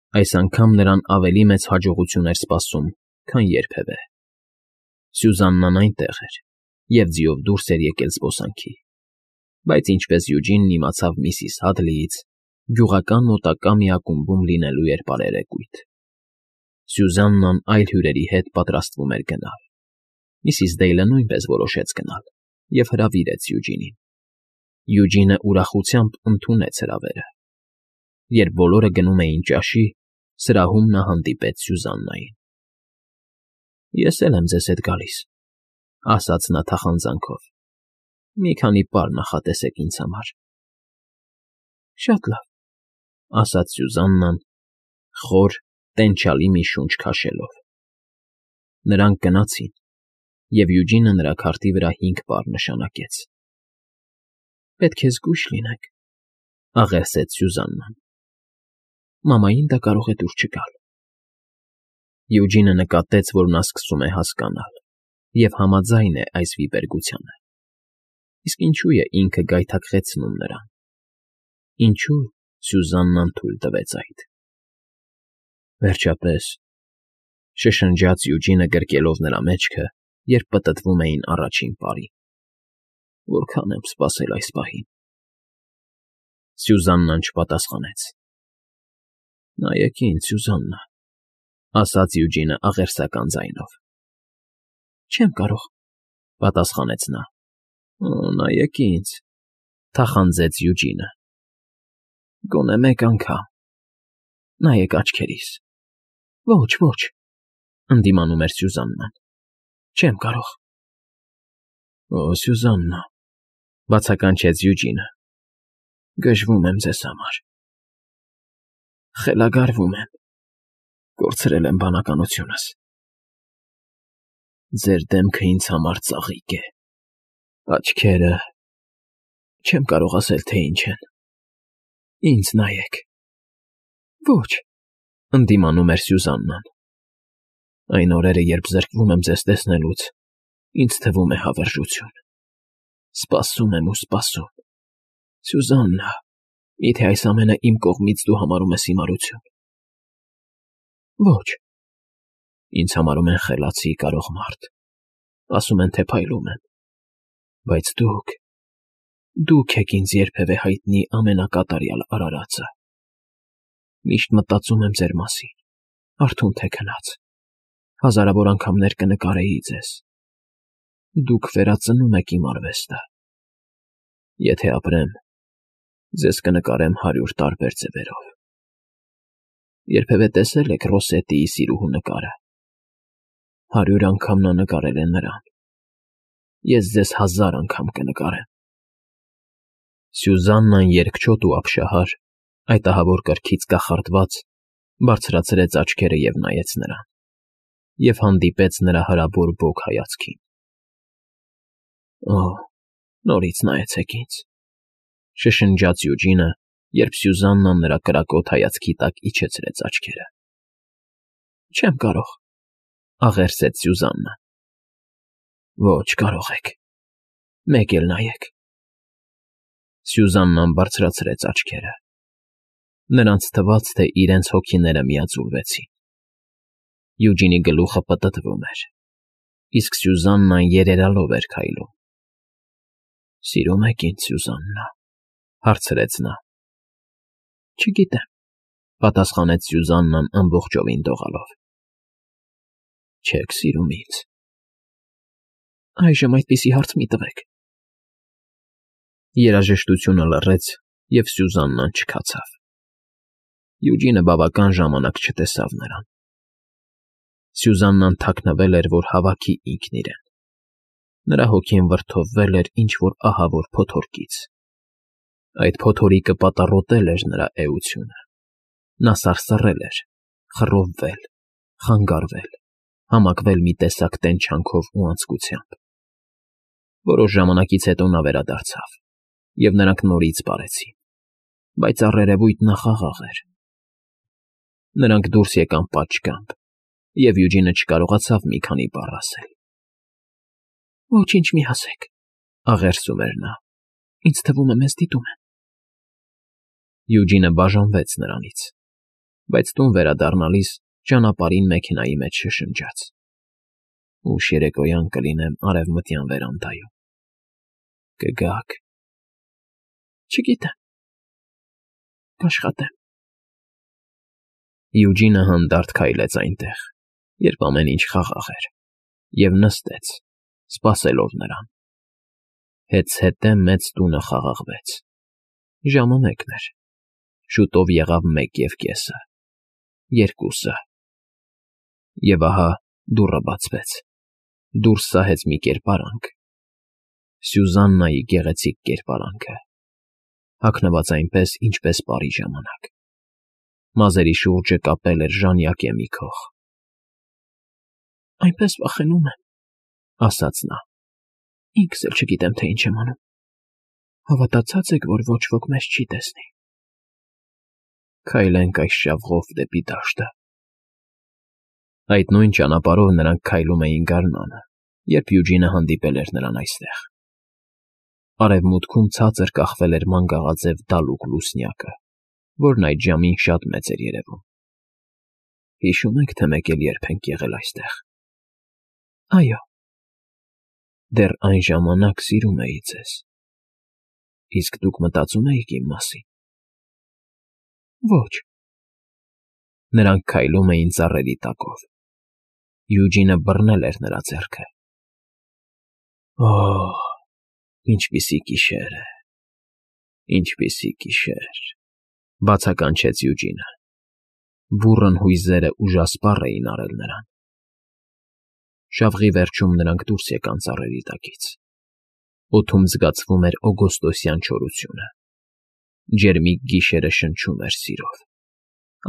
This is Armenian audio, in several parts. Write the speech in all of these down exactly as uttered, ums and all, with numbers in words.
Այս անգամ նրան ավելի մեծ հաջողություն էր սպասում, քան երբևէ. Սյուզաննան այնտեղ էր և ձիով դուրս էր եկել զբոսանքի, բայց ինչպես Յուջինն իմացավ միսիս Հադլիից, գյուղական մոտակա մի ակումբում լինելու էր բարերեկույթ. Սյուզաննան այլ հյուրերի հետ պատրաստվում էր գնալ, միսիս Դեյլը նույնպես որոշեց գնալ և հրավիրեց Յուջինին. Յուջինը ուրախությամբ ընդունեց հրավերը։ Երբ բոլորը գնում էին ճաշի, սրահում նա հանդիպեց Սյուզաննային։ ֊ Ես էլ եմ ձեզ հետ գալիս, ֊ ասաց նա թախանձանքով։ ֊ Մի քանի պար նախատեսեք ինձ համար։ ֊ Շատ լավ, ֊ ասաց Սյուզաննան, խոր, տենչալի մի շունչ քաշելով։ Նրանք գնացին, և Յուջինը նրա քարտի վրա հինգ պար նշանակեց։ ֊ Պետք է զգույշ լինեք, ֊ աղերսեց Սյուզաննան։ Մամային դա կարող է դուր չգալ։ Յուջինը նկատեց, որ նա սկսում է հասկանալ և համաձայն է այս վիպերգությանը։ Իսկ ինչո՞ւ է ինքը գայթակղեցնում նրան։ Ինչո՞ւ Սյուզաննան թույլ տվեց այդ։ Վերջապես, ֊ շշնջաց Յուջինը գրկելով նրա մեջքը, երբ պտտվում էին առաջին պարին, ֊ որքան եմ սպասել այս պահին։ Սյուզաննան չպատասխանեց։ ֊ Նայեք ինձ, Սյուզաննա, ֊ ասաց Յուջինը աղերսական ձայնով։ ֊ Չեմ կարող, ֊ պատասխանեց նա։ ֊ Նայեք ինձ, ֊ թախանձեց Յուջինը։ ֊ Գոնե մեկ անգամ, նայեք աչքերիս։ ֊ Ոչ, ոչ, ֊ ընդդիմանում էր Սյուզաննան։ ֊ Չեմ կարող։ ֊ Օ, Սյուզաննա, ֊ բացականչեց Յուջինը, ֊ գժվում եմ ձեզ համար։ Խելագարվում եմ, կորցրել եմ բանականությունս։ Ձեր դեմքը ինձ համար ծաղիկ է, աչքերը… չեմ կարող ասել, թե ինչ են։ Ինձ նայեք։ ֊ Ոչ, ֊ ընդդիմանում էր Սյուզաննան։ Այն օրերը, երբ զրկվում եմ ձեզ տեսնելուց, ինձ թվում է հավերժություն։ Սպասում եմ ու սպասում։ Սյուզաննա, միթե այս ամենը իմ կողմից դու համարում ես հիմարություն։ Ոչ։ Ինձ համարում են խելացի, կարող մարդ, ասում են, թե փայլում եմ։ Բայց դուք… դուք եք ինձ երբևէ հայտնի ամենակատարյալ արարածը։ Միշտ մտածում եմ ձեր մասին, արթուն թե քնած, հազարավոր անգամներ կնկարեի ձեզ։ Դուք վերածնում եք իմ արվեստը։ Եթե ապրեմ, ձեզ կնկարեմ հարյուր տարբեր ձևերով։ Երբևէ տեսե՞լ եք Ռոսետիի սիրուհու նկարը։ Հարյուր անգամ նա նկարել է նրան։ Ես ձեզ հազար անգամ կնկարեմ։ Սյուզաննան երկչոտ ու ապշահար, այդ ահավոր կրքից կախարդված, բարձրացրեց աչքերը և նայեց նրան, և հանդիպեց նրա հրաբոր բոգ հայացքին։ Օ՜, նորից նայեցեք ինձ, ֊ շշնջաց Յուջինը, երբ Սյուզաննան նրա կրակոտ հայացքի տակ իջեցրեց աչքերը։ ֊ Չեմ կարող, ֊ աղերսեց Սյուզաննան։ ֊ Ոչ, կարող եք, մեկ էլ նայեք։ Սյուզաննան բարձրացրեց աչքերը։ Նրանց թվաց, թե իրենց հոգիները միաձուլվեցին։ Յուջինի գլուխը պտտվում էր, իսկ Սյուզաննան երերալով էր քայլում։ ֊ Սիրո՞ւմ եք ինձ, Սյուզաննա, ֊ հարցրեց նա։ ֊ Չգիտեմ, ֊ պատասխանեց Սյուզաննան ամբողջովին դողալով։ ֊ Չեք սիրում ինձ։ ֊ Այժմ այդպիսի հարց մի տվեք։ Երաժշտությունը լռեց, և Սյուզաննան չքացավ։ Յուջինը բավական ժամանակ չտեսավ նրան։ Սյուզաննան թաքնվել էր, որ հավաքի ինքն իրեն։ Նրա հոգին վրդովվել էր ինչ֊որ ահավոր փոթորկից։ Այդ փոթորիկը պատառոտել էր նրա էությունը։ Նա սարսռել էր, խռովվել, խանգարվել, համակվել մի տեսակ տենչանքով ու անձկությամբ։ Որոշ ժամանակից հետո նա վերադարձավ, և նրանք նորից պարեցին, բայց առերևույթ նա խաղաղ էր։ Նրանք դուրս եկան պատշգամբ, և Յուջինը չկարողացավ մի քանի բառ ասել։ ֊ Ոչինչ մի ասեք, ֊ աղերսում էր նա, ֊ ինձ թվում է, մեզ դիտում են։ Յուջինը բաժանվեց նրանից։ Բայց տուն վերադառնալիս ճանապարհին մեքենայի մեջ շշնջաց. «Ուշ երեկոյան կլինեմ արևմտյան վերանդայում»։ Կգաք։ Չգիտեմ։ Կաշխատեմ։ Յուջինը հանդարտ քայլեց այնտեղ, երբ ամեն ինչ խաղաղ էր, և նստեց, սպասելով նրան։ Հետզհետե մեծ տունը խաղաղվեց։ Ժամը մեկն էր։ Շուտով եղավ մեկ և կեսը, երկուսը։ Եվ ահա դուռը բացվեց։ Դուրս սահեց մի կերպարանք։ Սյուզաննայի գեղեցիկ կերպարանքը, հագնված այնպես, ինչպես պարի ժամանակ։ Մազերի շուրջը կապել էր ժանյակե մի քող։ Այնպես վախենում եմ, ասաց նա։ Ինքս էլ չգիտեմ, թե ինչ եմ անում։ Հավատացած եք, որ ոչ ոք մեզ չի տեսնի։ Քայլենք այս շավղով դեպի դաշտը։ Այդ նույն ճանապարհով նրանք քայլում էին գարնանը, երբ Յուջինը հանդիպել էր նրան այստեղ։ Արևմուտքում ցածր կախվել էր մանգաղաձև դալուկ լուսնյակը, որն այդ ժամին շատ մեծ էր երևում։ Հիշո՞ւմ եք, թե մեկ էլ երբ ենք եղել այստեղ։ Այո։ Դեռ այն ժամանակ սիրում էի ձեզ։ Իսկ դուք մտածում էիք իմ մասին։ Ոչ։ Նրանք քայլում էին ծառերի տակով։ Յուջինը բռնել էր նրա ձեռքը։ Օհ, ինչպիսի գիշեր է, ինչպիսի գիշեր, բացականչեց Յուջինը։ Բուռն հույզերը ուժասպառ էին արել նրան։ Շավղի վերջում նրանք դուրս եկան ծառերի տակից։ Օդում զգացվում էր օգոստոսյան չորությունը։ Ջերմիկ գիշերը շնչում էր սիրով։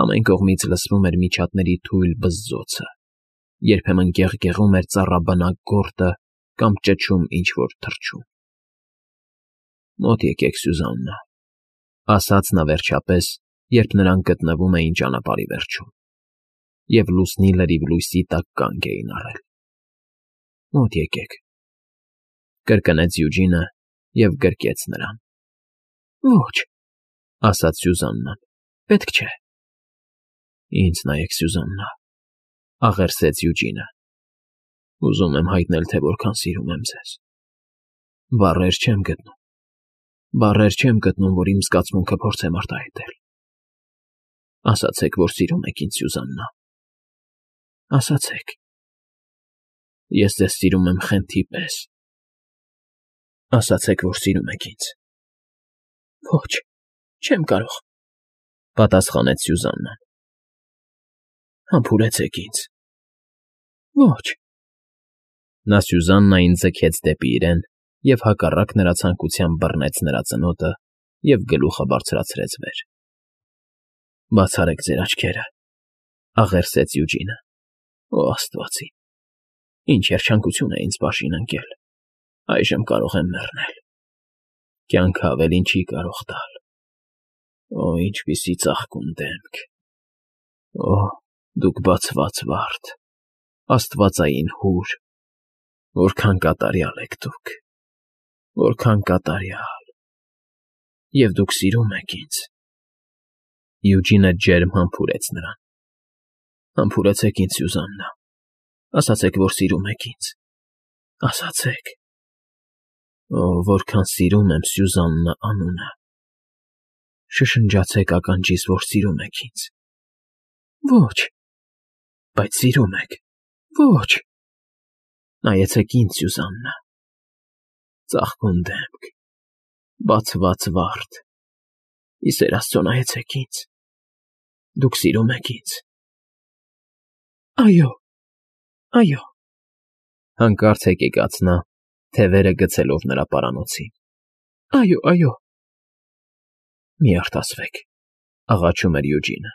Ամեն կողմից լսվում էր միջատների թույլ բզզոցը, երբեմն գեղգեղում էր ծառաբնակ գորտը կամ ճչում ինչ-որ թռչուն։ Մոտ եկեք, Սյուզաննա, ասաց նա վերջապես, երբ նրանք գտնվում էին ճանապարհի վերջում, և լուսնի լրիվ լույսի տակ կանգ էին առել։ Մոտ եկեք, կրկնեց Յուջինը և գրկեց նրան։ Ոչ, ասաց Սյուզաննան, պետք չէ։ Ինձ նայեք, Սյուզաննա, աղերսեց Յուջինը։ Ուզում եմ հայտնել, թե որքան սիրում եմ ձեզ։ Բառեր չեմ գտնում։ Բառեր չեմ գտնում, որ իմ զգացմունքը փորձեմ արտահայտել։ Ասացեք, որ սիրում եք ինձ, Սյուզաննա։ Ասացեք։ Ես ձեզ սիրում եմ խենթի պես։ Ասացեք, որ սիրում եք ինձ։ Ոչ, չեմ կարող, պատասխանեց Սյուզաննան։ Համբուրեցեք ինձ։ Ոչ։ Նա Սյուզաննային ձգեց դեպի իրեն և հակառակ նրա ցանկության բռնեց նրա ծնոտը և գլուխը բարձրացրեց վեր։ Բացարեք ձեր աչքերը, աղերսեց Յուջինը։ Օ Աստվածի, ինչ երջանկություն է ինձ բաժին ընկել։ Այժմ կարող եմ մեռնել։ Կյանքը ավելին չի կարող տալ։ Օ, ինչպիսի ծաղկուն դեմք։ Օ, դուք բացված վարդ, աստվածային հուր, որքան կատարյալ եք դուք, որքան կատարյալ։ Եվ դուք սիրում եք ինձ։ Յուջինը ջերմ համբուրեց նրան։ Համբուրեցեք ինձ, Սյուզաննա, ասացեք, որ սիրում եք ինձ։ Ասացեք։ Օ, որքան սիրում եմ Սյուզաննա անունը։ Շշնջացեք ականջիս, որ սիրում եք ինձ։ Ոչ։ Բայց սիրում եք։ Ոչ։ Նայեցեք ինձ, Սյուզաննա։ Ծաղկուն դեմք, բացված վարդ։ Ի սեր Աստծո, նայեցեք ինձ։ Դուք սիրում եք ինձ։ Այո, այո։ Հանկարծ հեկեկաց նա, թևերը գցելով նրա պարանոցին։ Այո, այո։ Մի արտասվեք, աղաչում էր Յուջինը։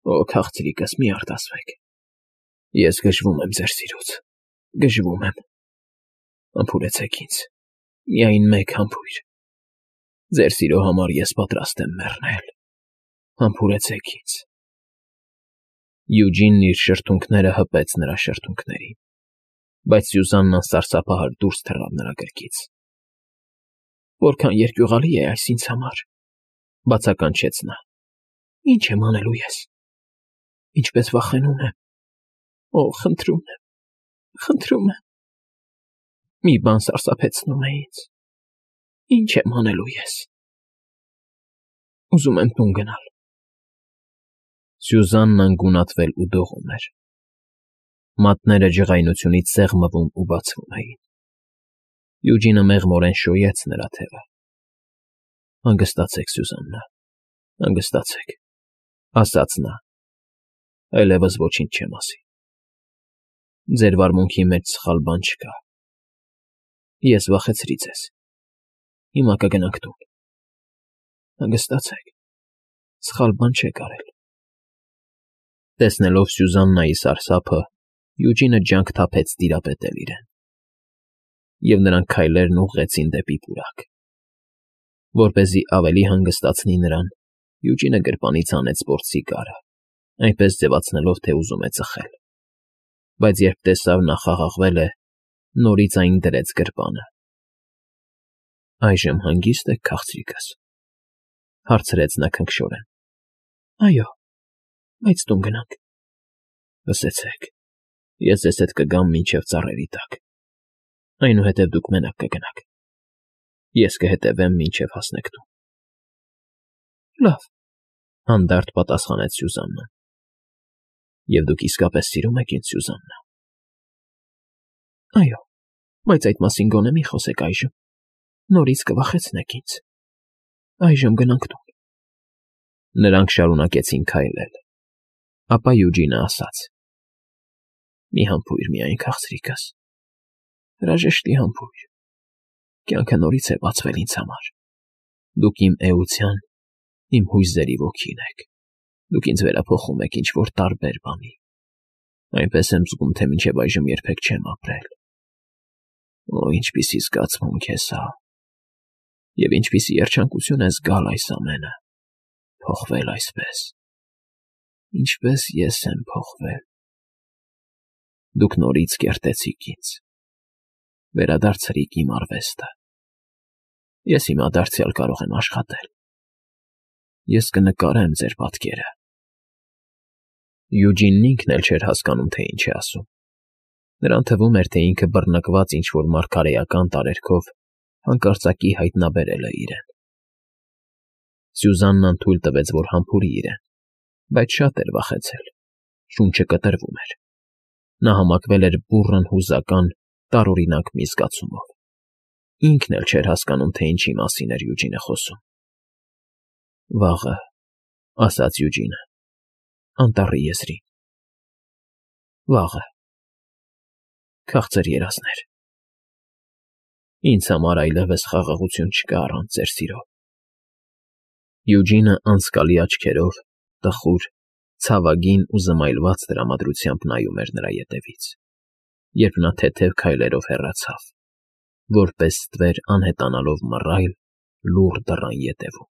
Օ, քաղցրիկս, մի արտասվեք։ Ես գժվում եմ ձեր սիրուց, գժվում եմ։ Համբուրեցեք ինձ, միայն մեկ համբույր։ Ձեր սիրո համար ես պատրաստ եմ մեռնել։ Համբուրեցեք ինձ։ Յուջինն իր շրթունքները հպեց նրա շրթունքներին, բայց Սյուզաննան սարսափահար դուրս թռավ նրա գրկից։ Որքան երկյուղալի է այս ինձ համար, բացականչեց նա։ Ինչ եմ անելու ես։ Ինչպես վախենում եմ։ Օ, խնդրում եմ, խնդրում եմ։ Մի բան սարսափեցնում է ինձ։ Ինչ եմ անելու ես։ Ուզում եմ տուն գնալ։ Սյուզաննան գունատվել ու դողում էր։ Մատները ջղայնությունից սեղմվում ու բացվում էին։ Յուջինը մեղմորեն շոյեց նրա թևը։ Հանգստացեք, Սյուզաննա, հանգստացեք, ասաց նա, այլևս ոչինչ չեմ ասի։ Ձեր վարմունքի մեջ սխալ բան չկա։ Ես վախեցրի ձեզ։ Հիմա կգնանք տուն։ Հանգստացեք, սխալ բան չեք արել։ Տեսնելով Սյուզաննայի սարսափը, Յուջինը ջանք թափեց տիրապետել իրեն։ Եվ նրանք քայլերն ուղղեցին դեպի պուրակ։ Որպեսզի ավելի հանգստացնի նրան, Յուջինը գրպանից հանեց պորտսիգարը, այնպես ձևացնելով, թե ուզում է ծխել։ Բայց երբ տեսավ նա խաղաղվել է, նորից այն դրեց գրպանը։ Այժմ հանգիստ եք, քաղցրիկս, հարցրեց նա քնքշորեն։ Այո, բայց տուն գնանք։ Լսեցեք, ես ձեզ հետ կգամ մինչև ծառերի տակ, այնուհետև դուք մենակ կգնաք, ես կհետևեմ մինչև հասնեք տուն։ Լավ, հանդարտ պատասխանեց Սյուզաննան։ Եվ դուք իսկապես սիրում եք ինձ, Սյուզաննա։ Այո, բայց այդ մասին գոնե մի խոսեք այժմ, նորից կվախեցնեք ինձ։ Այժմ գնանք տուն։ Նրանք շարունակեցին քայլել, ապա Յուջինը ասաց. Մի համբույր միայն, քաղցրիկս, հրաժեշտի համբույր, կյանքը նորից է բացվել ինձ համար։ Դուք իմ էության, իմ հույզերի ոգին եք, դուք ինձ վերափոխում եք ինչ-որ տարբեր բանի, այնպես եմ զգում, թե մինչև այժմ երբեք չեմ ապրել։ Օ, ինչպիսի զգացմունք է սա, և ինչպիսի երջանկություն է զգալ այս ամենը, փոխվել այսպես, ինչպես ես եմ փոխվել։ Դուք նորից կերտեցիք ինձ, վերադարձրիք իմ արվեստը։ Ես հիմա դարձյալ կարող եմ աշխատել։ Ես կնկարեմ ձեր պատկերը։ Յուջինն ինքն էլ չէր հասկանում, թե ինչ է ասում։ Նրան թվում էր, թե ինքը բռնկված ինչ-որ մարգարեական տարերքով հանկարծակի հայտնաբերել է իրեն։ Սյուզաննան թույլ տվեց, որ համբուրի իրեն, բայց շատ էր վախեցել, շունչը կտրվում էր։ Նա համակվել էր բուռն հուզական, տարօրինակ մի զգացումով։ Ինքն էլ չէր հասկանում, թե ինչի մասին էր Յուջինը խոսում։ Վաղը, ասաց Յուջինը, անտառի եզրին։ Վաղը, քաղցր երազներ։ Ինձ համար այլևս խաղաղություն չկա առանց ձեր սիրո։ Յուջինը անցկալի աչքերով, տխուր, ցավագին ու զմայլված տրամադրությամբ նայում էր նրա ետևից, երբ նա թեթև քայլերով հեռացավ, որպես ստվեր անհետանալով մռայլ, լուռ դռան ետևում։